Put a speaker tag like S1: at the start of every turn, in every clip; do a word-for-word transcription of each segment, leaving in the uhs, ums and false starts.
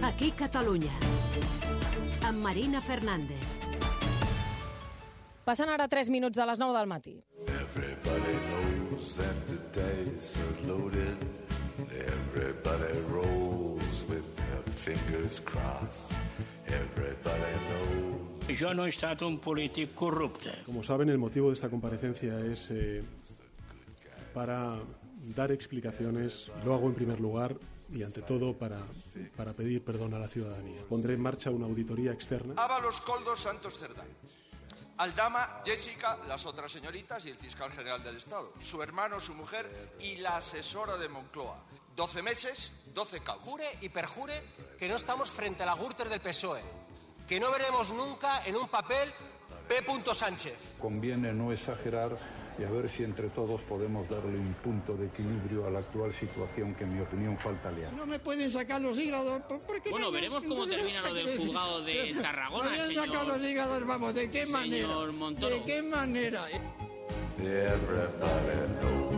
S1: Aquí Catalunya, amb Marina Fernández.
S2: Passen ara tres minuts de les nou del matí.
S3: Everybody knows that the dice are loaded. Everybody rolls with their fingers crossed. Everybody knows.
S4: Yo no he estat un polític corrupte.
S5: Como saben, el motivo de esta comparecencia es eh, para dar explicaciones. Lo hago en primer lugar y ante todo para, para pedir perdón a la ciudadanía. Pondré en marcha una auditoría externa.
S6: Ábalos Coldo Santos Cerdán. Aldama, Jessica, las otras señoritas y el fiscal general del Estado. Su hermano, su mujer y la asesora de Moncloa. doce meses, doce caos.
S7: Jure y perjure que no estamos frente a la Gürtel del P S O E. Que no veremos nunca en un papel P. Sánchez.
S8: Conviene no exagerar y a ver si entre todos podemos darle un punto de equilibrio a la actual situación que en mi opinión falta liar.
S9: No me pueden sacar los hígados porque
S10: bueno,
S9: no,
S10: veremos cómo termina lo del juzgado de Tarragona,
S9: me
S10: señor.
S9: Sacar los hígados, vamos, ¿de qué manera?
S10: Montoro.
S9: ¿De qué manera?
S3: Everybody knows.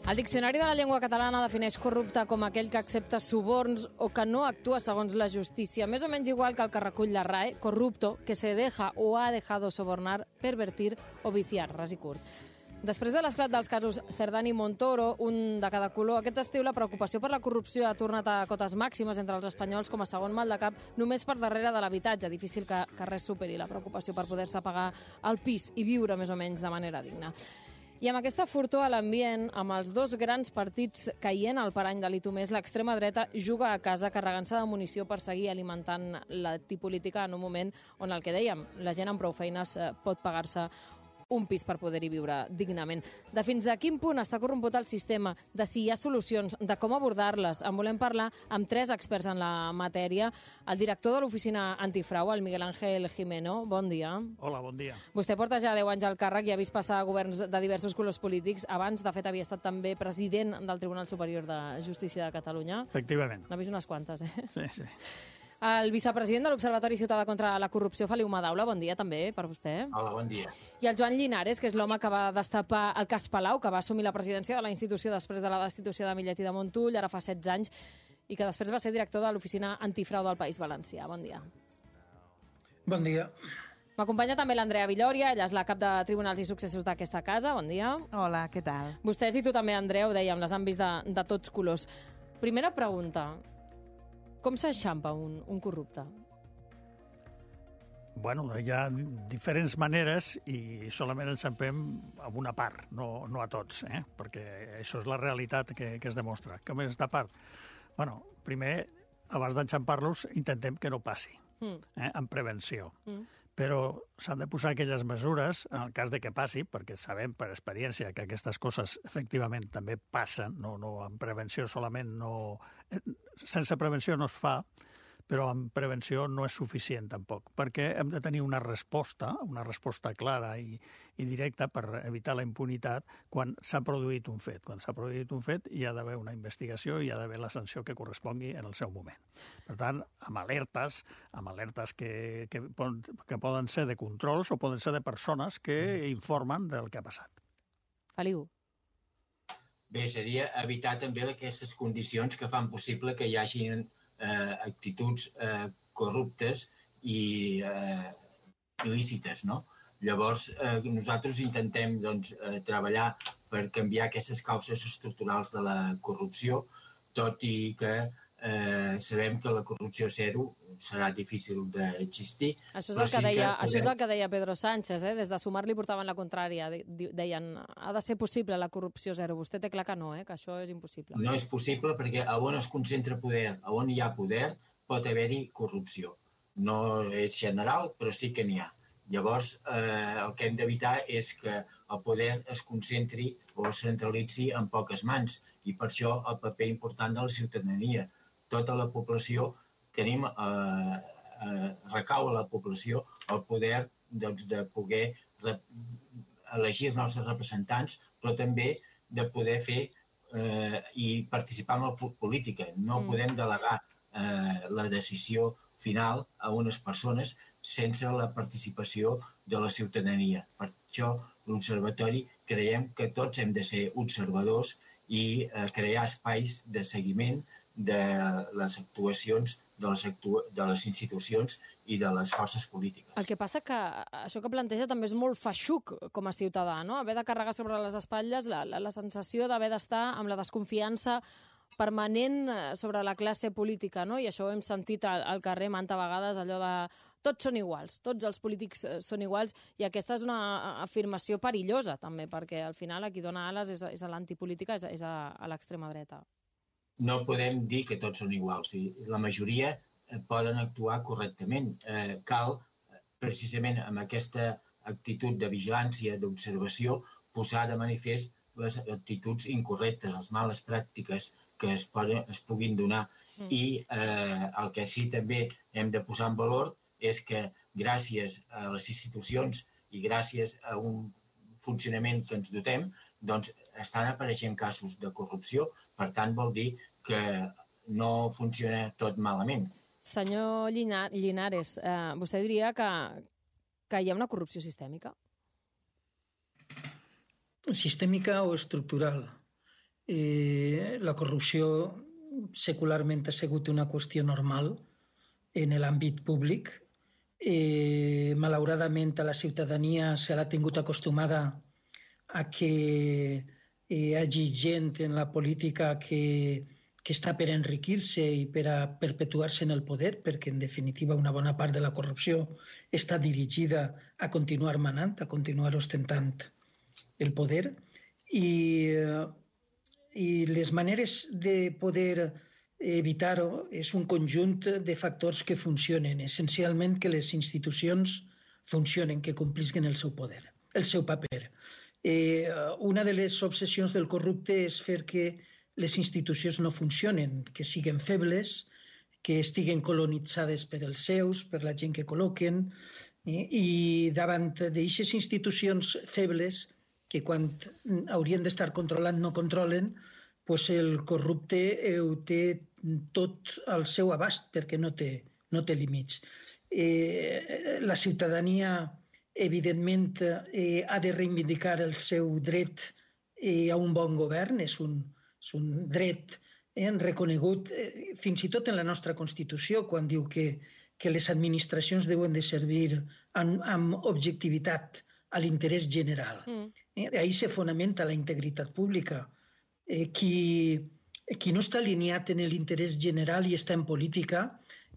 S2: El Diccionari de la Llengua Catalana defineix corrupte com aquell que accepta suborns o que no actua segons la justícia. Més o menys igual que el que recull la R A E, corrupto, que se deja o ha dejado sobornar, pervertir o viciar, ras i curt. Després de l'esclat dels casos Cerdán i Montoro, un de cada color, aquest estiu la preocupació per la corrupció ha tornat a cotes màximes entre els espanyols com a segon mal de cap, només per darrere de l'habitatge. Difícil que, que res superi la preocupació per poder-se pagar el pis i viure més o menys de manera digna. I amb aquesta fortor a l'ambient, amb els dos grans partits caient al parany de l'I T U més, l'extrema dreta juga a casa carregant-se de munició per seguir alimentant l'antipolítica en un moment on el que dèiem, la gent amb prou feines pot pagar-se un pis per poder-hi viure dignament. De fins a quin punt està corromput el sistema, de si hi ha solucions, de com abordar-les. En volem parlar amb tres experts en la matèria. El director de l'Oficina Antifrau, el Miguel Ángel Gimeno. Bon dia.
S11: Hola, bon dia.
S2: Vostè porta ja deu anys al càrrec i ha vist passar governs de diversos colors polítics. Abans, de fet, havia estat també president del Tribunal Superior de Justícia de Catalunya.
S11: Efectivament.
S2: N'ha vist unes quantes, eh?
S11: Sí, sí.
S2: El vicepresident de l'Observatori Ciutadà contra la Corrupció, Feliu Madaula, bon dia també per vostè.
S12: Hola, bon dia.
S2: I el Joan Llinares, que és l'home que va destapar el cas Palau, que va assumir la presidència de la institució després de la destitució de Millet i de Montull, ara fa setze anys, i que després va ser director de l'Oficina Antifrau del País Valencià. Bon dia.
S12: Bon dia.
S2: M'acompanya també l'Andrea Villòria, ella és la cap de Tribunals i Successos d'aquesta casa. Bon dia.
S13: Hola, què tal?
S2: Vostès i tu també, Andreu, dèiem, les han vist de, de tots colors. Primera pregunta. Com s'enxampa un, un corrupte?
S11: Bueno, hi ha diferents maneres i solament enxampem a una part, no, no a tots, eh? Perquè això és la realitat que, que es demostra. Com és de part? Bueno, primer, abans d'enxampar-los, intentem que no passi, mm. eh? en prevenció. Mm. Però s'han de posar aquelles mesures, en el cas de que passi, perquè sabem per experiència que aquestes coses efectivament també passen, no, no, en prevenció solament no... Sense prevenció no es fa, però en prevenció no és suficient tampoc, perquè hem de tenir una resposta, una resposta clara i, i directa per evitar la impunitat quan s'ha produït un fet. Quan s'ha produït un fet hi ha d'haver una investigació i hi ha d'haver la sanció que correspongui en el seu moment. Per tant, amb alertes, amb alertes que, que, que poden ser de controls o poden ser de persones que informen del que ha passat.
S2: Feliu.
S12: Bé, seria evitar també aquestes condicions que fan possible que hi hagin Eh, actituds eh, corruptes i eh, il·lícites, no? Llavors, eh, nosaltres intentem doncs, eh, treballar per canviar aquestes causes estructurals de la corrupció, tot i que eh, sabem que la corrupció zero serà difícil d'existir.
S2: Això és el que, deia, que això és el que deia Pedro Sánchez, eh? Des de Sumar li portaven la contrària. Deien, ha de ser possible la corrupció zero. Vostè té clar que no, eh? Que això és impossible.
S12: No és possible perquè on es concentra poder, on hi ha poder, pot haver-hi corrupció. No és general, però sí que n'hi ha. Llavors, eh, el que hem d'evitar és que el poder es concentri o es centralitzi en poques mans i per això el paper important de la ciutadania. Tota la població tenim, eh, eh, recau a la població el poder doncs, de poder rep, elegir els nostres representants, però també de poder fer eh, i participar en la política. No mm. podem delegar eh, la decisió final a unes persones sense la participació de la ciutadania. Per això, l'Observatori creiem que tots hem de ser observadors i eh, crear espais de seguiment de les actuacions de les, actu de les institucions i de les forces polítiques.
S2: El que passa que això que planteja també és molt feixuc com a ciutadà, no? Haver de carregar sobre les espatlles la, la, la sensació d'haver d'estar amb la desconfiança permanent sobre la classe política, no? I això ho hem sentit al, al carrer manta vegades, allò de tots són iguals, tots els polítics són iguals, i aquesta és una afirmació perillosa també, perquè al final a qui dona ales és a, és a l'antipolítica, és, a, és a, a l'extrema dreta.
S12: No podem dir que tots són iguals. La majoria poden actuar correctament. Eh, cal, precisament amb aquesta actitud de vigilància, d'observació, posar de manifest les actituds incorrectes, les males pràctiques que es, poden, es puguin donar. Mm. I eh, el que sí també hem de posar en valor és que gràcies a les institucions i gràcies a un funcionament que ens dotem, doncs estan apareixent casos de corrupció, per tant vol dir que no funciona tot malament.
S2: Senyor Llinares, eh, vostè diria que, que hi ha una corrupció sistèmica?
S13: Sistèmica o estructural. Eh, la corrupció secularment ha sigut una qüestió normal en l'àmbit públic. Eh, malauradament a la ciutadania se l'ha tingut acostumada a que hi hagi gent en la política que, que està per enriquir-se i per a perpetuar-se en el poder, perquè en definitiva una bona part de la corrupció està dirigida a continuar manant, a continuar ostentant el poder. I, i les maneres de poder evitar-ho és un conjunt de factors que funcionen, essencialment que les institucions funcionen, que complisquen el seu poder, el seu paper. Eh, una de les obsessions del corrupte és fer que les institucions no funcionen, que siguin febles, que estiguen colonitzades per els seus, per la gent que col·loquen, eh, i davant d'aixes institucions febles, que quan haurien d'estar controlant no controlen, doncs el corrupte ho té tot al seu abast, perquè no té, no té límits. Eh, la ciutadania, evidentment, eh, ha de reivindicar el seu dret eh, a un bon govern, és un, és un dret eh, reconegut eh, fins i tot en la nostra Constitució, quan diu que, que les administracions deuen de servir amb, amb objectivitat a l'interès general. Mm. Eh, ahí se fonamenta la integritat pública. Eh, qui, qui no està alineat en l'interès general i està en política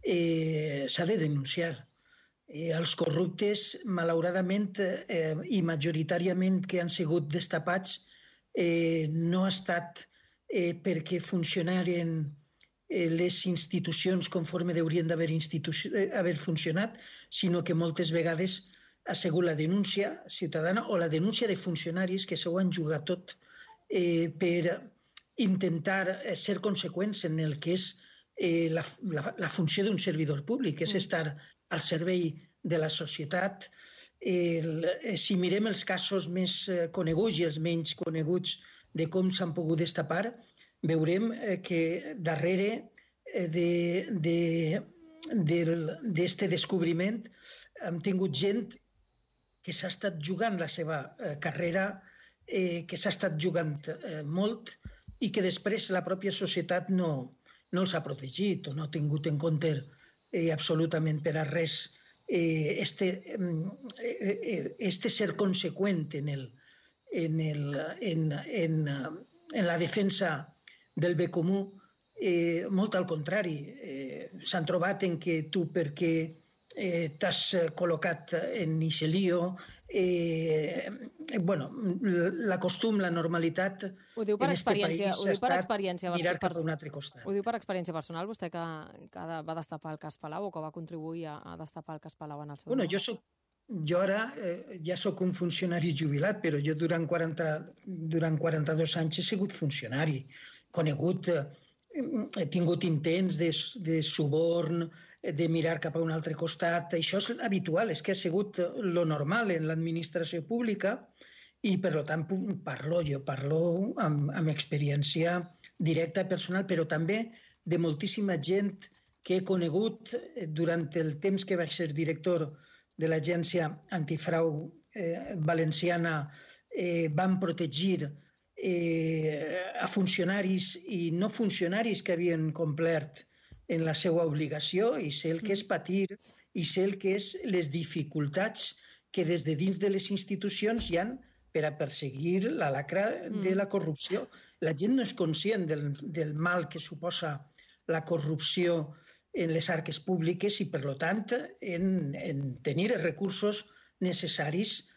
S13: eh, s'ha de denunciar. Eh, els corruptes, malauradament, eh, i majoritàriament que han sigut destapats, eh, no ha estat eh, perquè funcionaren eh, les institucions conforme haurien d'haver eh, funcionat, sinó que moltes vegades ha sigut la denúncia ciutadana o la denúncia de funcionaris que s'ho han jugat tot eh, per intentar ser conseqüents en el que és eh, la, la, la funció d'un servidor públic, que és estar al servei de la societat. El, si mirem els casos més coneguts i els menys coneguts de com s'han pogut destapar, veurem que darrere d'aquest descobriment hem tingut gent que s'ha estat jugant la seva carrera, eh, que s'ha estat jugant eh, molt i que després la pròpia societat no, no els ha protegit o no ha tingut en compte eh, absolutament per a res eh, este, eh, este ser conseqüent en, el, en, el, en, en, en la defensa del bé comú. Eh, molt al contrari, eh, s'han trobat en que tu perquè Eh, t'has col·locat en eixe lío, eh, bueno, la costum, la normalitat
S2: ho diu per
S13: en este
S2: experiència,
S13: país
S2: ho diu per
S13: ha
S2: experiència
S13: estat mirar
S2: per,
S13: cap a un altre costat.
S2: Ho diu per experiència personal, vostè que, que va destapar el cas Palau o que va contribuir a, a destapar el cas Palau en el seu
S13: Bueno,
S2: nom?
S13: jo soc Jo ara eh, ja sóc un funcionari jubilat, però jo durant, quaranta, durant quaranta-dos anys he sigut funcionari, conegut, eh, he tingut intents de, de suborn, de mirar cap a un altre costat. Això és habitual, és que ha sigut lo normal en l'administració pública i, per tant, parlo, jo parlo amb, amb experiència directa personal, però també de moltíssima gent que he conegut durant el temps que vaig ser director de l'Agència Antifrau eh, Valenciana. Eh, van protegir eh, a funcionaris i no funcionaris que havien complert en la seva obligació, i sé el que és patir i sé el que és les dificultats que des de dins de les institucions hi han per a perseguir la lacra de la corrupció. La gent no és conscient del, del mal que suposa la corrupció en les arques públiques i, per tant, en, en tenir els recursos necessaris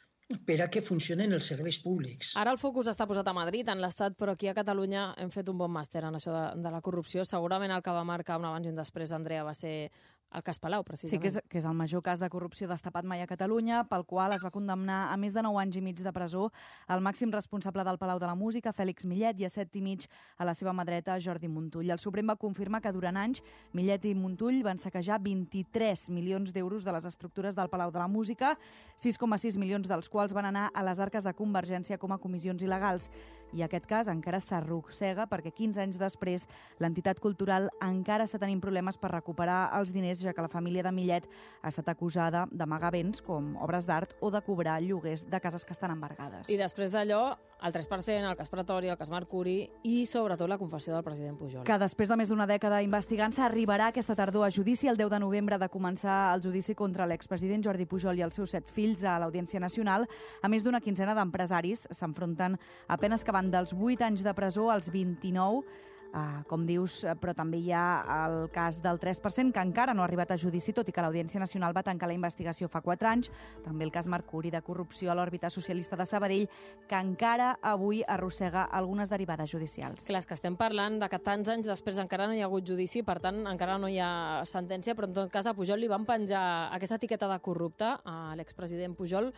S13: per a que funcionen els serveis públics.
S2: Ara el focus està posat a Madrid, en l'Estat, però aquí a Catalunya hem fet un bon màster en això de, de la corrupció. Segurament el que va marcar un abans i un després, Andrea, va ser el cas Palau, precisament.
S14: Sí, que és, que és el major cas de corrupció destapat mai a Catalunya, pel qual es va condemnar a més de nou anys i mig de presó el màxim responsable del Palau de la Música, Fèlix Millet, i a set i mig a la seva mà dreta, Jordi Montull. El Suprem va confirmar que durant anys Millet i Montull van saquejar vint-i-tres milions d'euros de les estructures del Palau de la Música, sis coma sis milions dels quals van anar a les arques de Convergència com a comissions il·legals. I aquest cas encara s'arrossega perquè quinze anys després l'entitat cultural encara està tenint problemes per recuperar els diners, ja que la família de Millet ha estat acusada d'amagar béns com obres d'art o de cobrar lloguers de cases que estan embargades.
S2: I després d'allò, el tres per cent, el cas Pretori, el cas Mercuri i, sobretot, la confessió del president Pujol.
S14: Que després de més d'una dècada investigant-se arribarà aquesta tardor a judici. El deu de novembre de començar el judici contra l'expresident Jordi Pujol i els seus set fills a l'Audiència Nacional. A més d'una quinzena d'empresaris s'enfronten a penes que van dels vuit anys de presó als vint-i-nou, Uh, com dius, però també hi ha el cas del tres per cent, que encara no ha arribat a judici, tot i que l'Audiència Nacional va tancar la investigació fa quatre anys. També el cas Mercuri de corrupció a l'òrbita socialista de Sabadell, que encara avui arrossega algunes derivades judicials.
S2: Clar, és que estem parlant de que tants anys després encara no hi ha hagut judici, per tant, encara no hi ha sentència, però en tot cas a Pujol li van penjar aquesta etiqueta de corrupte a l'expresident Pujol.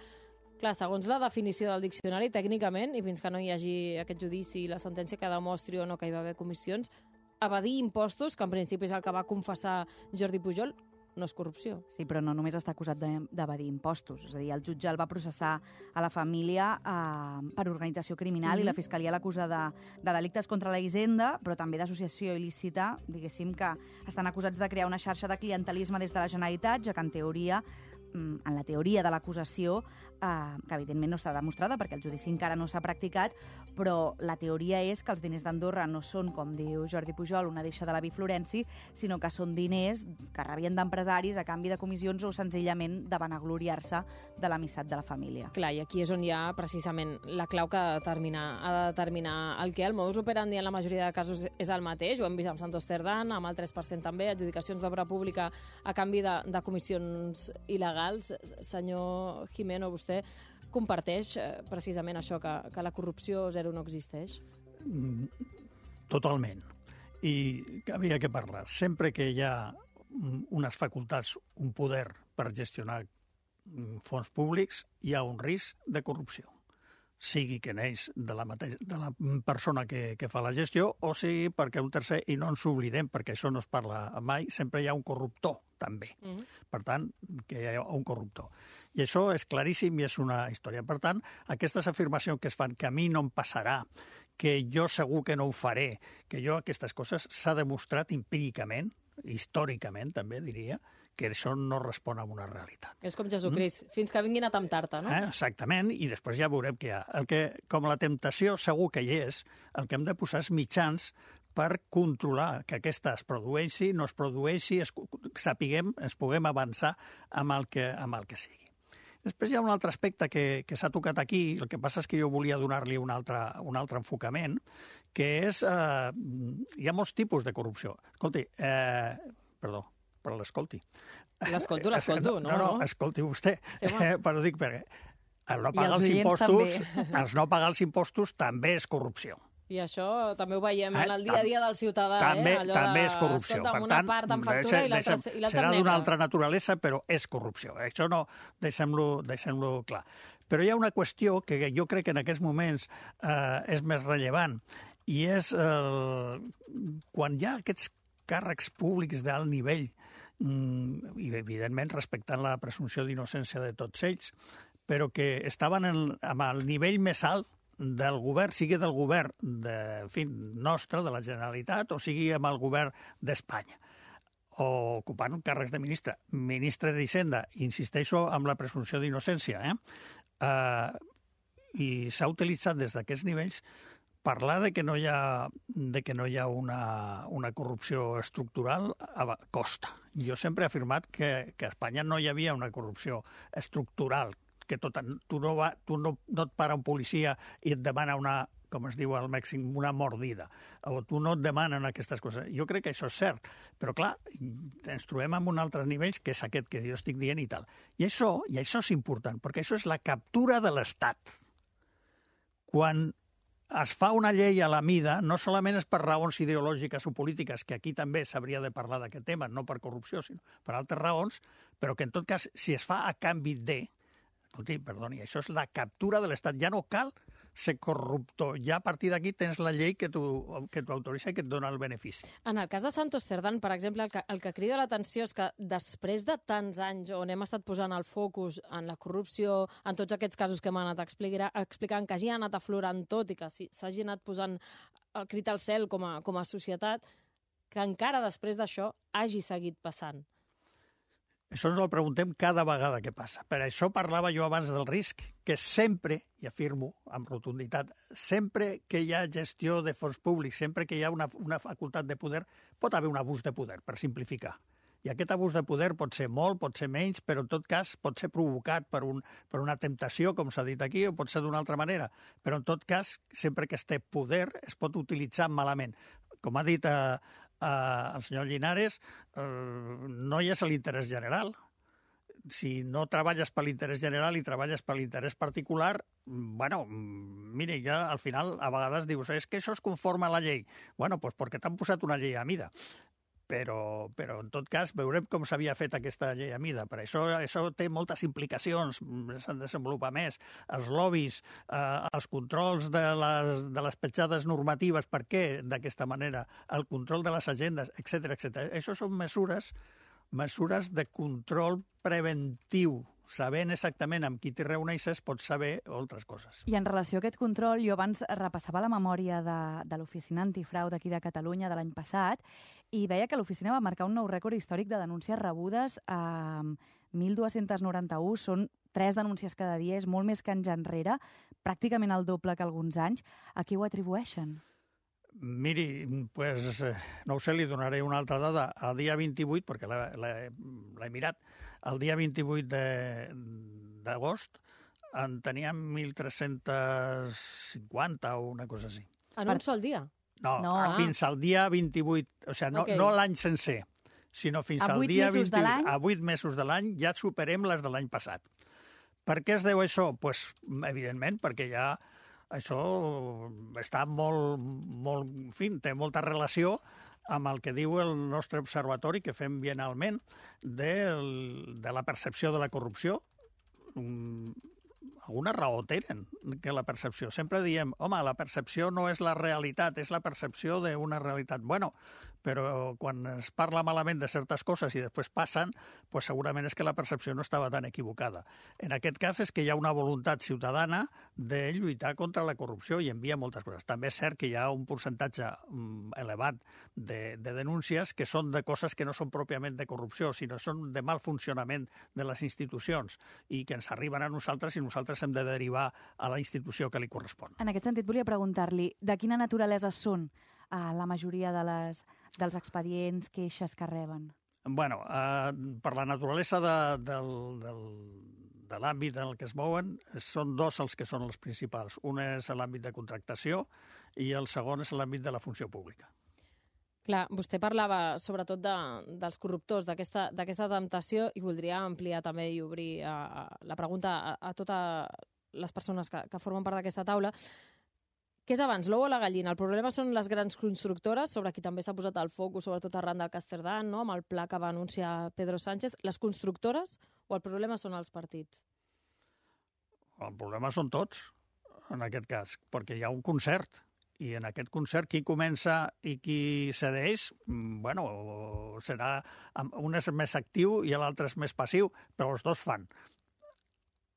S2: Clar, segons la definició del diccionari, tècnicament, i fins que no hi hagi aquest judici i la sentència que demostri o no que hi va haver comissions, evadir impostos, que en principi és el que va confessar Jordi Pujol, no és corrupció.
S14: Sí, però no només està acusat d'evadir impostos. És a dir, el jutge el va processar a la família eh, per organització criminal, mm-hmm. i la Fiscalia l'acusa de, de delictes contra la hisenda, però també d'associació il·lícita, diguéssim que estan acusats de crear una xarxa de clientelisme des de la Generalitat, ja que en teoria en la teoria de l'acusació, eh, que evidentment no està demostrada perquè el judici encara no s'ha practicat, però la teoria és que els diners d'Andorra no són, com diu Jordi Pujol, una deixa de l'avi Florenci, sinó que són diners que rebien d'empresaris a canvi de comissions o senzillament de vanagloriar-se de l'amistat de la família.
S2: Clar, i aquí és on hi ha precisament la clau que ha de determinar, ha de determinar el que el modus operandi en la majoria de casos és el mateix. Ho hem vist amb Santos Cerdán, amb el tres per cent també, adjudicacions d'obra pública a canvi de, de comissions il·legals. Senyor Gimeno, vostè comparteix precisament això, que, que la corrupció zero no existeix?
S11: Totalment. I havia que parlar. Sempre que hi ha unes facultats, un poder per gestionar fons públics, hi ha un risc de corrupció. Sigui que neix de la, mateixa, de la persona que, que fa la gestió o sigui perquè un tercer, i no ens oblidem, perquè això no es parla mai, sempre hi ha un corruptor, també. Mm-hmm. Per tant, que hi ha un corruptor. I això és claríssim i és una història. Per tant, aquestes afirmacions que es fan, que a mi no em passarà, que jo segur que no ho faré, que jo aquestes coses s'ha demostrat empíricament, històricament també diria, que això no respon a una realitat.
S2: És com Jesucrist, mm? fins que vinguin a temptar-te, no?
S11: Eh, exactament, i després ja veurem què hi ha. El que, com la temptació segur que hi és, el que hem de posar és mitjans per controlar que aquesta es produeixi, no es produeixi, es, sapiguem, ens puguem avançar amb el que, amb el que sigui. Després hi ha un altre aspecte que, que s'ha tocat aquí, el que passa és que jo volia donar-li un altre, un altre enfocament, que és... Eh, hi ha molts tipus de corrupció. Escolti, eh, perdó, però l'escolti.
S2: L'escolto, l'escolto, no?
S11: No, no, escolti vostè. Sí, eh, però dic perquè el no pagar els,
S2: els
S11: impostos, els no pagar els impostos també és corrupció.
S2: I això també ho veiem en el dia a dia del ciutadà.
S11: També,
S2: eh? Allò
S11: també
S2: de,
S11: és corrupció.
S2: Escolta,
S11: per
S2: una
S11: tant,
S2: part en factura i l'altra
S11: serà d'una altra naturalesa, però és corrupció. Això no, deixem-lo deixem clar. Però hi ha una qüestió que jo crec que en aquests moments eh, és més rellevant, i és eh, quan hi ha aquests càrrecs públics d'alt nivell, mm, i evidentment respectant la presumpció d'innocència de tots ells, però que estaven en, amb el nivell més alt del govern, sigui del govern de, en fi, nostre, de la Generalitat, o sigui amb el govern d'Espanya, o ocupant càrrecs de ministre. Ministre d'Hisenda, insisteixo amb la presumpció d'innocència, eh? Uh, i s'ha utilitzat des d'aquests nivells parlar de que no hi ha, de que no hi ha una, una corrupció estructural costa. Jo sempre he afirmat que, que a Espanya no hi havia una corrupció estructural, que tot, tu, no, va, tu no, no et para un policia i et demana una, com es diu al Mèxic, una mordida, o tu no et demanen aquestes coses. Jo crec que això és cert, però clar, ens trobem en un altre nivell, que és aquest que jo estic dient i tal. I això, i això és important, perquè això és la captura de l'Estat. Quan es fa una llei a la mida, no solament és per raons ideològiques o polítiques, que aquí també s'hauria de parlar d'aquest tema, no per corrupció, sinó per altres raons, però que en tot cas, si es fa a canvi de... Escolti, perdoni, això és la captura de l'Estat. Ja no cal ser corruptor. Ja a partir d'aquí tens la llei que t'autoritza i que et dona el benefici.
S2: En el cas de Santos Cerdán, per exemple, el que, el que crida l'atenció és que després de tants anys on hem estat posant el focus en la corrupció, en tots aquests casos que hem anat explicant, que hagi anat aflorant tot i que s'hagi anat posant el crit al cel com a, com a societat, que encara després d'això hagi seguit passant.
S11: Això ens ho preguntem cada vegada que passa. Per això parlava jo abans del risc, que sempre, i afirmo amb rotunditat, sempre que hi ha gestió de fons públics, sempre que hi ha una, una facultat de poder, pot haver un abús de poder, per simplificar. I aquest abús de poder pot ser molt, pot ser menys, però en tot cas pot ser provocat per, un, per una temptació, com s'ha dit aquí, o pot ser d'una altra manera. Però en tot cas, sempre que es té poder, es pot utilitzar malament. Com ha dit... Eh, Uh, el senyor Linares, uh, no hi és l'interès general. Si no treballes per l'interès general i treballes per l'interès particular, bueno, mire, ja al final a vegades dius, és que això es conforma a la llei. Bueno, doncs perquè t'han posat una llei a mida. Però, però en tot cas veurem com s'havia fet aquesta llei a mida. Per això, això té moltes implicacions, s'han de desenvolupar més. Els lobbies, eh, els controls de les, de les petjades normatives, per què d'aquesta manera, el control de les agendes, etcètera, etcètera. Això són mesures, mesures de control preventiu. Sabent exactament amb qui t'hi reuneixes, pots saber altres coses.
S14: I en relació a aquest control, jo abans repassava la memòria de, de l'Oficina Antifrau d'aquí de Catalunya de l'any passat i veia que l'oficina va marcar un nou rècord històric de denúncies rebudes a mil dos-cents noranta-u. Són tres denúncies cada dia, és molt més que anys enrere, pràcticament el doble que alguns anys. A qui ho atribueixen?
S11: Miri, pues, no ho sé, li donaré una altra dada. El dia vint-i-vuit, perquè l'he mirat, el dia vint-i-vuit d'agost en teníem mil tres-cents cinquanta o una cosa així.
S2: En un sol dia?
S11: No, no fins al dia vint-i-vuit, o sigui, no, okay. no l'any sencer, sinó fins al dia vint-i-vuit. A vuit mesos de l'any ja superem les de l'any passat. Per què es deu això? Pues, evidentment, perquè ja això està molt, molt, en fi, té molta relació amb el que diu el nostre observatori que fem biennalment de, de la percepció de la corrupció. Um, alguna raó tenen que la percepció. Sempre diem, home, la percepció no és la realitat, és la percepció d'una realitat. Bueno, però quan es parla malament de certes coses i després passen, pues segurament és que la percepció no estava tan equivocada. En aquest cas és que hi ha una voluntat ciutadana de lluitar contra la corrupció i envia moltes coses. També és cert que hi ha un percentatge um, elevat de, de denúncies que són de coses que no són pròpiament de corrupció, sinó són de mal funcionament de les institucions i que ens arriben a nosaltres i nosaltres hem de derivar a la institució que li correspon.
S14: En aquest sentit, volia preguntar-li de quina naturalesa són uh, la majoria de les, dels expedients, queixes que reben?
S11: Bueno, eh, per la naturalesa de, del, del, de l'àmbit en el que es mouen, són dos els que són els principals. Un és l'àmbit de contractació i el segon és l'àmbit de la funció pública.
S2: Clar, vostè parlava sobretot de, dels corruptors, d'aquesta temptació, i voldria ampliar també i obrir a, a la pregunta a, a totes les persones que, que formen part d'aquesta taula. Què és abans, l'ou o la gallina? El problema són les grans constructores, sobre qui també s'ha posat el focus, sobretot arran del Casterdán, no? Amb el pla que va anunciar Pedro Sánchez. Les constructores o el problema són els partits?
S11: El problema són tots, en aquest cas, perquè hi ha un concert. I en aquest concert, qui comença i qui cedeix, bueno, serà, un és més actiu i l'altre és més passiu, però els dos fan.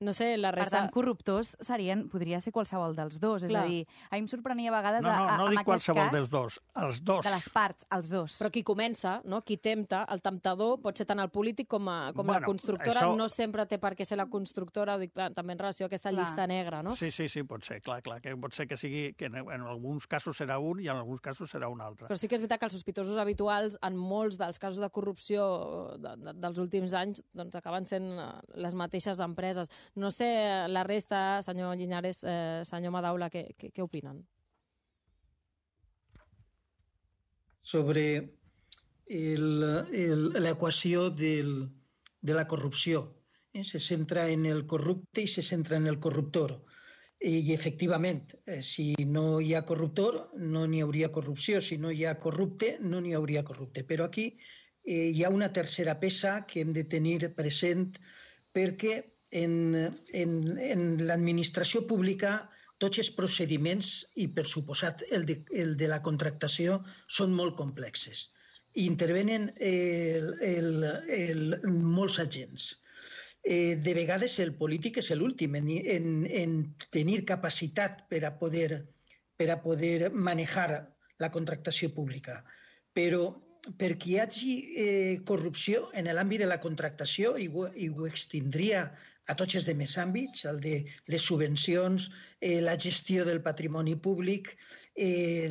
S2: No sé, la
S14: Per
S2: resta...
S14: tant, corruptors serien, podria ser qualsevol dels dos. És
S2: Clar.
S14: a dir, a mi em sorprenia a vegades...
S11: No, no,
S14: a, a,
S11: no
S14: en
S11: dic
S14: aquest
S11: qualsevol
S14: cas,
S11: dels dos, els dos.
S14: De les parts, els dos.
S2: Però qui comença, no? Qui tempta, el temptador pot ser tant el polític com, a, com
S11: Bueno,
S2: la constructora.
S11: això-
S2: No sempre té per què ser la constructora, ho dic clar, també en relació a aquesta
S14: Clar.
S2: llista negra, no?
S11: Sí, sí, sí, pot ser, clar, clar, que pot ser que sigui, que en, en alguns casos serà un i en alguns casos serà un altre.
S2: Però sí que és veritat que els sospitosos habituals, en molts dels casos de corrupció de, de, dels últims anys, doncs acaben sent eh, les mateixes empreses. No sé, la resta, senyor Llinares, eh, senyor Madaula, què, què, què opinen?
S13: Sobre l'equació de la corrupció. Eh? Se centra en el corrupte i se centra en el corruptor. I, efectivament, eh, si no hi ha corruptor, no n'hi hauria corrupció. Si no hi ha corrupte, no n'hi hauria corrupte. Però aquí eh, hi ha una tercera peça que hem de tenir present perquè en, en, en l'administració pública tots els procediments, i per suposat el de, el de la contractació, són molt complexes. I intervenen el, el, el, molts agents. Eh, de vegades el polític és l'últim en, en, en tenir capacitat per a poder, per a poder manejar la contractació pública. Però perquè hi hagi eh, corrupció en l'àmbit de la contractació, i ho, i ho extindria a tots els demés àmbits, el de les subvencions, eh, la gestió del patrimoni públic, eh,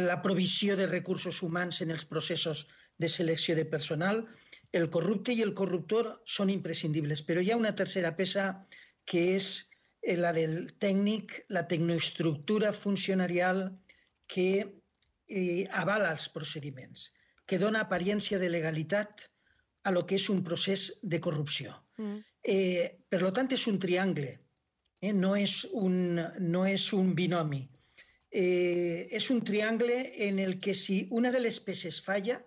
S13: la provisió de recursos humans en els processos de selecció de personal. El corrupte i el corruptor són imprescindibles, però hi ha una tercera peça que és la del tècnic, la tecnoestructura funcionarial que eh, avala els procediments, que dona apariència de legalitat a lo que és un procés de corrupció. Mm. Eh, per tant, és un triangle, eh? no, és un, no és un binomi. Eh, és un triangle en el que si una de les peces falla,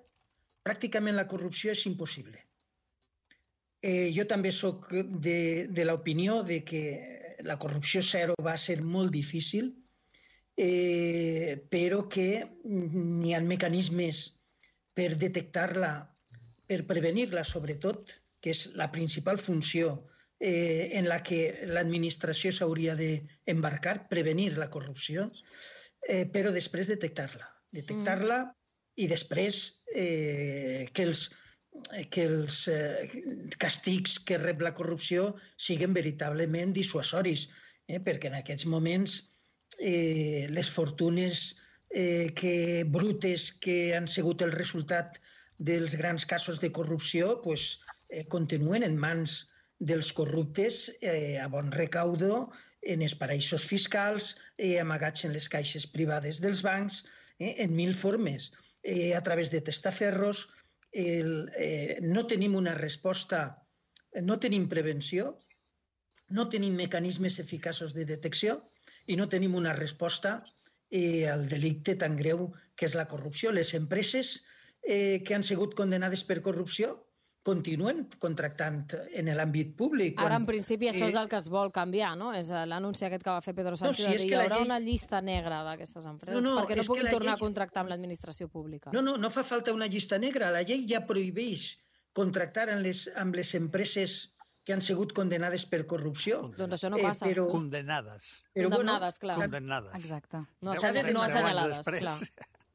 S13: pràcticament la corrupció és impossible. Eh, jo també soc de, de l'opinió de que la corrupció zero va ser molt difícil, eh, però que n'hi ha mecanismes per detectar-la, per prevenir-la, sobretot, que és la principal funció eh, en la que l'administració s'hauria d'embarcar, prevenir la corrupció, eh, però després detectar-la. Detectar-la mm. i després eh, que els, que els eh, castigs que rep la corrupció siguin veritablement dissuasoris, eh, perquè en aquests moments eh, les fortunes eh, que, brutes que han sigut el resultat dels grans casos de corrupció pues, eh, continuen en mans dels corruptes eh, a bon recaudo, en els paraïsos fiscals, eh, amagats en les caixes privades dels bancs, eh, en mil formes, eh, a través de testaferros. El, eh, no tenim una resposta, no tenim prevenció, no tenim mecanismes eficaços de detecció i no tenim una resposta eh, al delicte tan greu que és la corrupció. Les empreses Eh, que han sigut condenades per corrupció continuen contractant en l'àmbit públic.
S2: Ara, en principi, això és el que es vol canviar, no? És l'anunci aquest que va fer Pedro Sánchez,
S13: no, si
S2: de dir, hi haurà
S13: llei...
S2: una llista negra d'aquestes empreses,
S13: no, no,
S2: perquè no puguin tornar
S13: llei...
S2: a contractar amb l'administració pública.
S13: No, no, no fa falta una llista negra. La llei ja prohibeix contractar amb les, amb les empreses que han sigut condenades per corrupció.
S2: Doncs això no passa.
S13: Eh, però...
S11: Condemnades.
S13: Però,
S2: Condemnades,
S13: bueno,
S2: clar.
S11: Condemnades.
S14: Exacte.
S2: No, assenyalades, no assenyalades, clar.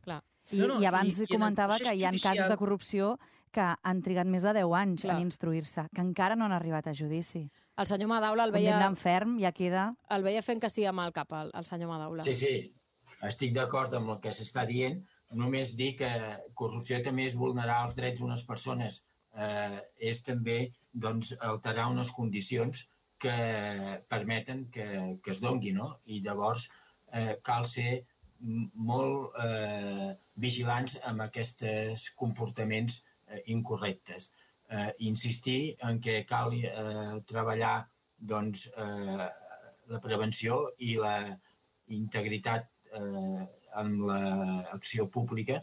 S2: clar.
S14: I, no, no, i abans i, comentava i que hi ha judicial... casos de corrupció que han trigat més de deu anys Clar. en instruir-se, que encara no han arribat a judici.
S2: El senyor Madaula el veia...
S14: Condemnant ferm, ja queda...
S2: El veia fent que sí amb el cap, el, el senyor Madaula.
S12: Sí, sí, estic d'acord amb el que s'està dient. Només dir que corrupció també és vulnerar els drets d'unes persones. Eh, és també doncs, alterar unes condicions que permeten que, que es dongui, no? I llavors eh, cal ser molt eh, vigilants amb aquests comportaments eh, incorrectes. Eh, insistir en que cal eh, treballar doncs, eh, la prevenció i la integritat eh, en l'acció pública,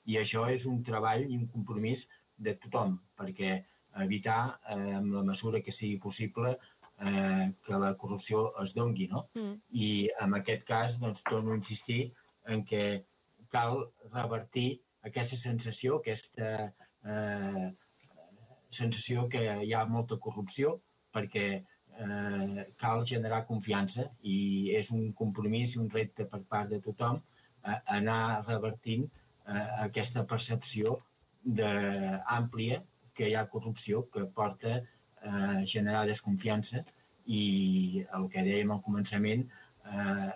S12: i això és un treball i un compromís de tothom, perquè evitar, eh, en la mesura que sigui possible, eh, que la corrupció es dongui, no? Mm. I en aquest cas, doncs, torno a insistir en que cal revertir aquesta sensació, aquesta eh, sensació que hi ha molta corrupció perquè eh, cal generar confiança i és un compromís i un repte per part de tothom eh, anar revertint eh, aquesta percepció de, àmplia que hi ha corrupció que porta a generar desconfiança i el que dèiem al començament, eh,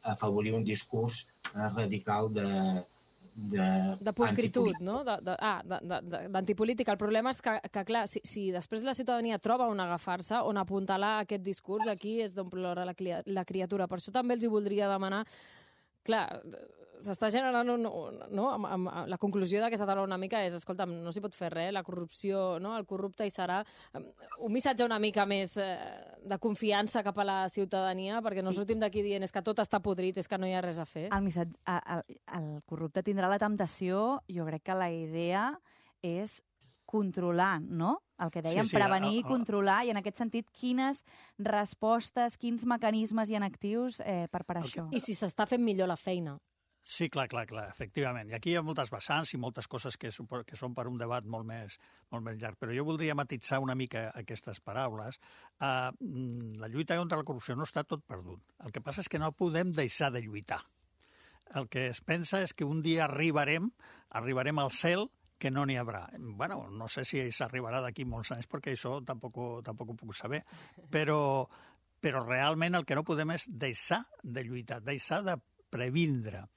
S12: afavorir un discurs eh, radical de, de,
S2: de pulcritud, no? De, de, ah, d'antipolítica. El problema és que, que clar, si, si després la ciutadania troba on agafar-se, on apuntalar aquest discurs, aquí és d'on plora la, la criatura. Per això també els hi voldria demanar, clar, s'està generant un, no? Amb, amb, la conclusió d'aquesta taula una mica és, escolta'm, no s'hi pot fer res, la corrupció, no? El corrupte hi serà. Un missatge una mica més eh, de confiança cap a la ciutadania, perquè no sortim d'aquí dient és que tot està podrit, és que no hi ha res a fer.
S14: El, missatge, el, el corrupte tindrà la temptació, jo crec que la idea és controlar, no? El que dèiem, sí, sí, prevenir i controlar, i en aquest sentit, quines respostes, quins mecanismes hi ha actius eh, per, per això.
S2: I si s'està fent millor la feina.
S11: Sí, clar, clar, clar, efectivament. I aquí hi ha moltes vessants i moltes coses que, que són per un debat molt més, molt més llarg. Però jo voldria matitzar una mica aquestes paraules. Uh, la lluita contra la corrupció no està tot perdut. El que passa és que no podem deixar de lluitar. El que es pensa és que un dia arribarem, arribarem al cel, que no n'hi haurà. Bueno, no sé si s'arribarà d'aquí molts anys, perquè això tampoc, tampoc ho puc saber. Però, però realment el que no podem és deixar de lluitar, deixar de previndre.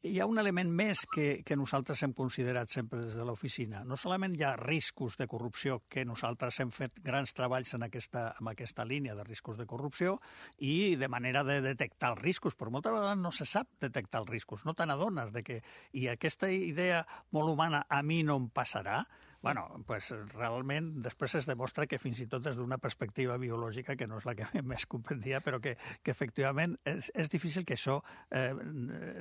S11: Hi ha un element més que, que nosaltres hem considerat sempre des de l'oficina. No solament hi ha riscos de corrupció, que nosaltres hem fet grans treballs en aquesta, en aquesta línia de riscos de corrupció i de manera de detectar els riscos, però moltes vegades no se sap detectar els riscos, no te n'adones de que... I aquesta idea molt humana, a mi no em passarà, bueno, pues realment després es demostra que fins i tot des d'una perspectiva biològica, que no és la que més comprendia, però que, que efectivament és, és difícil que això eh,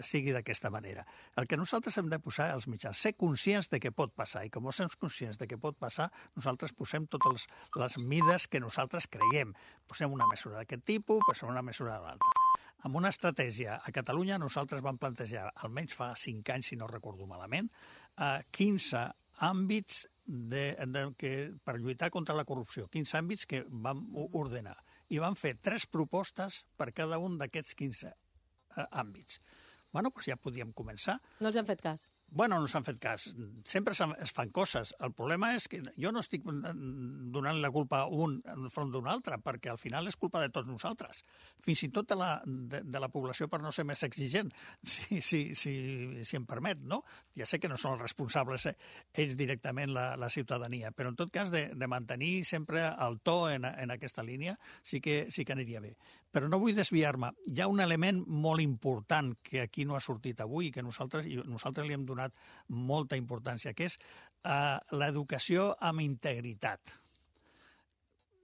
S11: sigui d'aquesta manera. El que nosaltres hem de posar als mitjans, ser conscients de què pot passar, i com som conscients de què pot passar, nosaltres posem totes les mides que nosaltres creiem. Posem una mesura d'aquest tipus, posem una mesura de l'altra. Amb una estratègia a Catalunya nosaltres vam plantejar, almenys fa cinc anys, si no recordo malament, eh, quinze àmbits de, de, que, per lluitar contra la corrupció, quinze àmbits que vam ordenar. I vam fer tres propostes per cada un d'aquests quinze eh, àmbits. Bueno, doncs ja podíem començar.
S2: No els han fet cas?
S11: Bueno, no s'han fet cas. Sempre es fan coses. El problema és que jo no estic donant la culpa a un enfront d'un altre, perquè al final és culpa de tots nosaltres. Fins i tot de la, de, de la població, per no ser més exigent, si, si, si, si em permet, no? Ja sé que no són els responsables eh, ells directament, la, la ciutadania, però en tot cas de, de mantenir sempre el to en, en aquesta línia sí que, sí que aniria bé. Però no vull desviar-me. Hi ha un element molt important que aquí no ha sortit avui i que nosaltres, i nosaltres li hem donat molta importància, que és eh, l'educació amb integritat.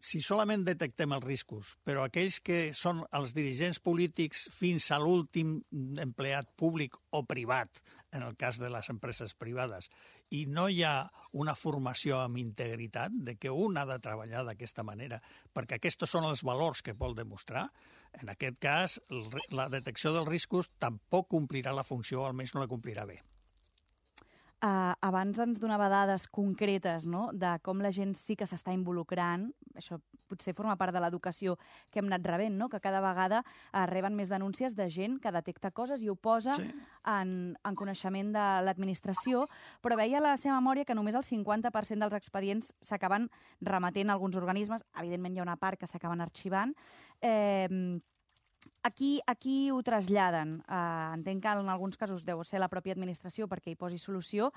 S11: Si solament detectem els riscos, però aquells que són els dirigents polítics fins a l'últim empleat públic o privat, en el cas de les empreses privades, i no hi ha una formació amb integritat de que un ha de treballar d'aquesta manera, perquè aquests són els valors que vol demostrar, en aquest cas la detecció dels riscos tampoc complirà la funció, almenys no la complirà bé.
S14: Uh, abans ens donava dades concretes, no?, de com la gent sí que s'està involucrant. Això potser forma part de l'educació que hem anat rebent, no?, que cada vegada uh, reben més denúncies de gent que detecta coses i ho posa sí. en, en coneixement de l'administració, però veia a la seva memòria que només el cinquanta per cent dels expedients s'acaben remetent a alguns organismes. Evidentment hi ha una part que s'acaben arxivant. Eh, Aquí, aquí ho traslladen. Uh, entenc que en alguns casos deu ser la pròpia administració perquè hi posi solució,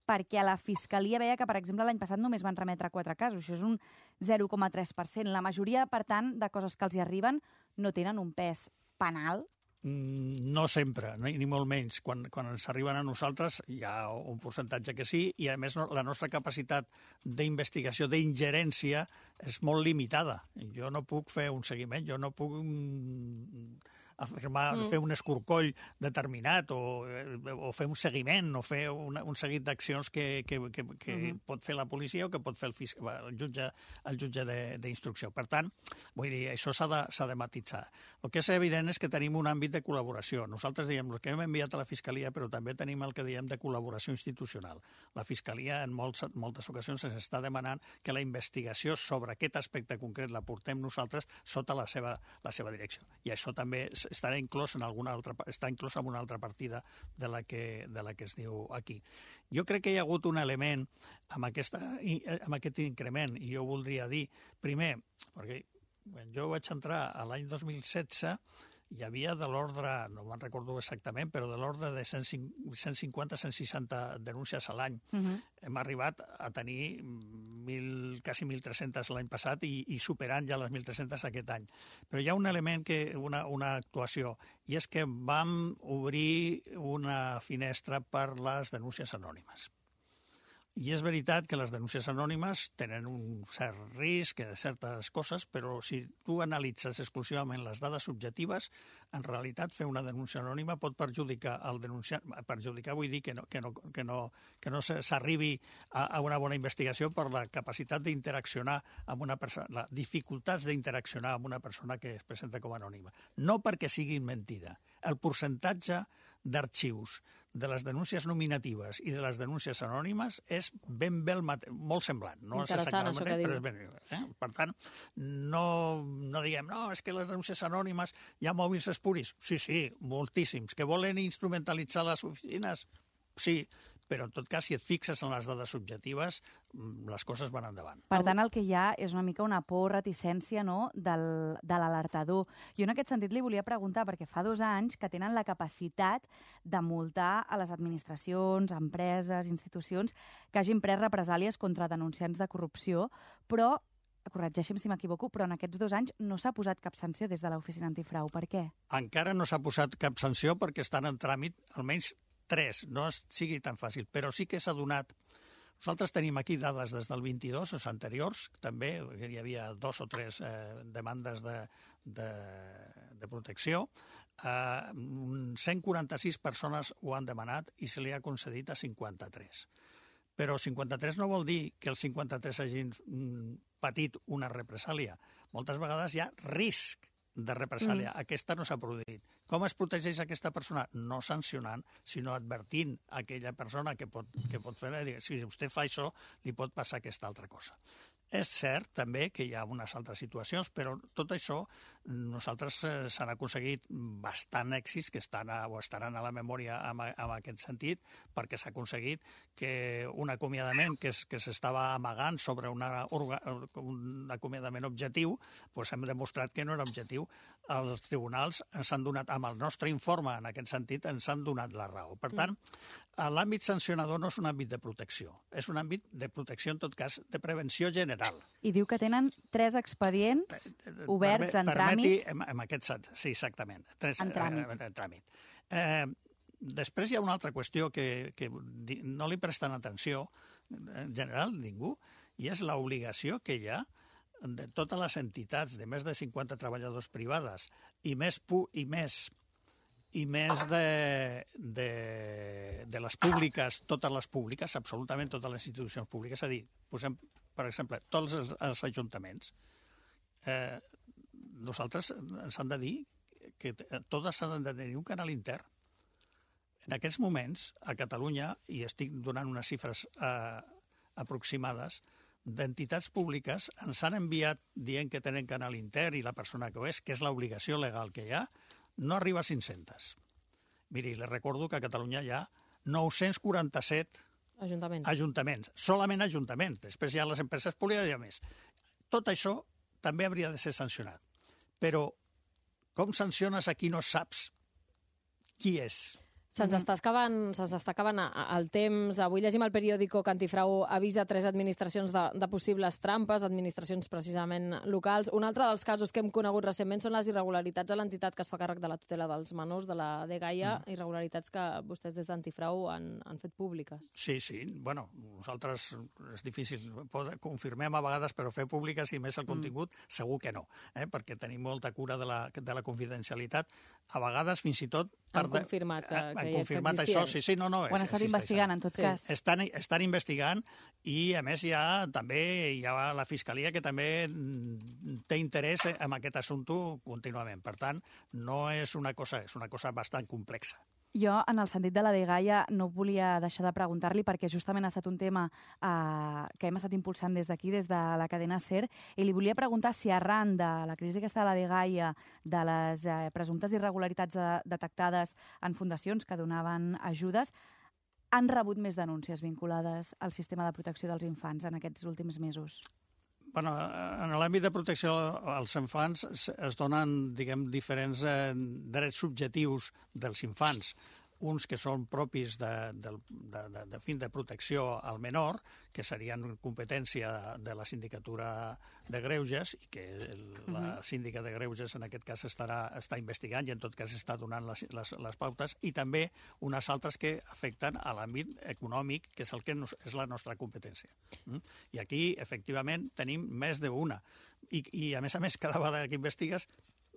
S14: perquè a la Fiscalia veia que, per exemple, l'any passat només van remetre quatre casos. Això és un zero coma tres per cent. La majoria, per tant, de coses que els hi arriben no tenen un pes penal.
S11: No sempre, ni molt menys. Quan, quan ens arriben a nosaltres hi ha un percentatge que sí, i a més la nostra capacitat d'investigació, d'ingerència, és molt limitada. Jo no puc fer un seguiment, jo no puc afirmar,
S2: Mm.
S11: fer un escorcoll determinat o, o fer un seguiment o fer una, un seguit d'accions que, que, que, que
S2: Mhm.
S11: pot fer la policia o que pot fer el, fisc, el jutge, el jutge de- d'instrucció. Per tant, vull dir, això s'ha de, s'ha de matitzar. El que és evident és que tenim un àmbit de col·laboració. Nosaltres diem el que hem enviat a la Fiscalia, però també tenim el que diem de col·laboració institucional. La Fiscalia en molts, moltes ocasions ens està demanant que la investigació sobre aquest aspecte concret la portem nosaltres sota la seva, la seva direcció. I això també estarà inclòs en alguna altra, està inclòs en una altra partida de la, que, de la que es diu aquí. Jo crec que hi ha hagut un element amb, aquesta, amb aquest increment, i jo voldria dir, primer, perquè quan jo vaig entrar a l'any dos mil setze, hi havia de l'ordre, no me'n recordo exactament, però de l'ordre de cent cinquanta a cent seixanta denúncies a l'any.
S14: Mhm.
S11: Hem arribat a tenir mil, quasi mil tres-centes l'any passat i, i superant ja les mil tres-centes aquest any. Però hi ha un element, que una, una actuació, i és que vam obrir una finestra per les denúncies anònimes. I és veritat que les denúncies anònimes tenen un cert risc de certes coses, però si tu analitzes exclusivament les dades subjectives, en realitat fer una denúncia anònima pot perjudicar el denunciant. Perjudicar vull dir que no, que no, que no, que no s'arribi a, a una bona investigació per la capacitat d'interaccionar amb una persona, les dificultats d'interaccionar amb una persona que es presenta com a anònima. No perquè sigui mentida. El percentatge d'arxius de les denúncies nominatives i de les denúncies anònimes és ben bé el mate... molt semblant. No és
S2: Interessant, això que
S11: exactament, però
S2: diu.
S11: és ben... Eh? Per tant, no, no diguem, no, és que les denúncies anònimes hi ha mòbils espuris. Sí, sí, moltíssims. Que volen instrumentalitzar les oficines? Sí, però en tot cas, si et fixes en les dades subjectives, les coses van endavant.
S14: Per tant, el que hi ha és una mica una por, reticència, no?, del, de l'alertador. Jo en aquest sentit li volia preguntar, perquè fa dos anys que tenen la capacitat de multar a les administracions, empreses, institucions que hagin pres represàlies contra denunciants de corrupció, però, corregeixi'm si m'equivoco, però en aquests dos anys no s'ha posat cap sanció des de l'Oficina Antifrau. Per què?
S11: Encara no s'ha posat cap sanció perquè estan en tràmit almenys tres, no sigui tan fàcil, però sí que s'ha donat. Nosaltres tenim aquí dades des del vint-i-dos, els anteriors, també hi havia dos o tres eh, demandes de, de, de protecció. Eh, cent quaranta-sis persones ho han demanat i se li ha concedit a cinquanta-tres. Però cinquanta-tres no vol dir que els cinquanta-tres hagin mm, patit una represàlia. Moltes vegades hi ha risc de represàlia. Mm. Aquesta no s'ha produït. Com es protegeix aquesta persona? No sancionant, sinó advertint a aquella persona que pot, que pot fer, dir, si vostè fa això, li pot passar aquesta altra cosa. És cert, també, que hi ha unes altres situacions, però tot això nosaltres eh, s'han aconseguit bastant èxits que estan a, o estaran a la memòria en, en aquest sentit, perquè s'ha aconseguit que un acomiadament que, es, que s'estava amagant sobre una, un acomiadament objectiu, doncs hem demostrat que no era objectiu. Els tribunals ens han donat, amb el nostre informe en aquest sentit, ens han donat la raó. Per tant, l'àmbit sancionador no és un àmbit de protecció, és un àmbit de protecció, en tot cas, de prevenció general.
S14: I diu que tenen tres expedients oberts
S11: Perme,
S14: en
S11: permeti,
S14: tràmit.
S11: En, en aquest sentit, sí, exactament. Tres,
S14: En tràmit.
S11: Eh, en tràmit. Eh, després hi ha una altra qüestió que, que no li presten atenció, en general, ningú, i és l'obligació que hi ha de totes les entitats de més de cinquanta treballadors privades i més, pu i més i més de, de, de les públiques, totes les públiques, absolutament totes les institucions públiques, és a dir, posem, per exemple, tots els, els ajuntaments, eh, nosaltres ens han de dir que totes han de tenir un canal intern. En aquests moments, a Catalunya, i estic donant unes xifres eh, aproximades, d'entitats públiques ens han enviat dient que tenen canal intern i la persona que ho és, que és l'obligació legal que hi ha, no arriba a cinc-centes. Miri, les recordo que a Catalunya hi ha nou-cents quaranta-set
S2: Ajuntaments.
S11: ajuntaments, solament ajuntaments. Després hi ha les empreses públiques i hi ha més. Tot això també hauria de ser sancionat. Però com sanciones a qui no saps qui és?
S2: Se'ns
S14: Mhm.
S2: està acabant, se'ns està acabant el temps. Avui llegim al periòdico que Antifrau avisa tres administracions de, de possibles trampes, administracions precisament locals. Un altre dels casos que hem conegut recentment són les irregularitats a l'entitat que es fa càrrec de la tutela dels menors, de la Dgaia, mm. irregularitats que vostès des d'Antifrau han, han fet públiques.
S11: Sí, sí. Bueno, nosaltres és difícil. Confirmem a vegades, però fer públiques i més el contingut, mm. segur que no, eh? perquè tenim molta cura de la, de la confidencialitat. A vegades, fins i tot...
S2: Han confirmat que,
S11: han
S2: que
S11: confirmat
S2: que
S11: això, sí, sí, no, no.
S14: Ho han estat investigant, en tot cas.
S11: Estan, estan investigant i, a més, hi ha, també hi ha la Fiscalia que també té interès en aquest assumpte contínuament. Per tant, no és una cosa, és una cosa bastant complexa.
S14: Jo, en el sentit de la Dgaia, no volia deixar de preguntar-li, perquè justament ha estat un tema eh, que hem estat impulsant des d'aquí, des de la cadena SER, i li volia preguntar si arran de la crisi aquesta de la Dgaia, de les eh, presumptes irregularitats de, detectades en fundacions que donaven ajudes, han rebut més denúncies vinculades al sistema de protecció dels infants en aquests últims mesos?
S11: Bueno, en l'àmbit de protecció als infants es donen, diguem, diferents eh, drets subjectius dels infants. Uns que són propis de, de, de, de, de fin de protecció al menor, que serien competència de la sindicatura de Greuges, i que la síndica de Greuges en aquest cas estarà, està investigant i en tot cas està donant les, les, les pautes, i també unes altres que afecten a l'àmbit econòmic, que és el que nos, és la nostra competència. Mm? I aquí, efectivament, tenim més d'una. I, I, a més a més, cada vegada que investigues,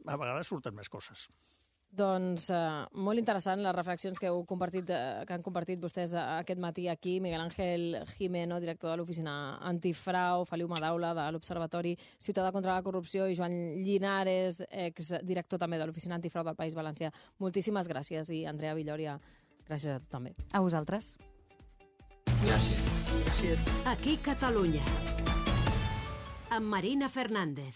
S11: a vegades surten més coses.
S2: Doncs eh, molt interessant les reflexions que heu compartit, eh, que han compartit vostès aquest matí aquí. Miguel Ángel Jimeno, director de l'oficina Antifrau, Feliu Madaula, de l'Observatori Ciutadà contra la Corrupció, i Joan Llinares, exdirector també de l'oficina Antifrau del País Valencià. Moltíssimes gràcies, i Andrea Villòria, gràcies a tu també.
S14: A vosaltres.
S12: Gràcies.
S13: Gràcies.
S1: Aquí Catalunya. Amb Marina Fernández.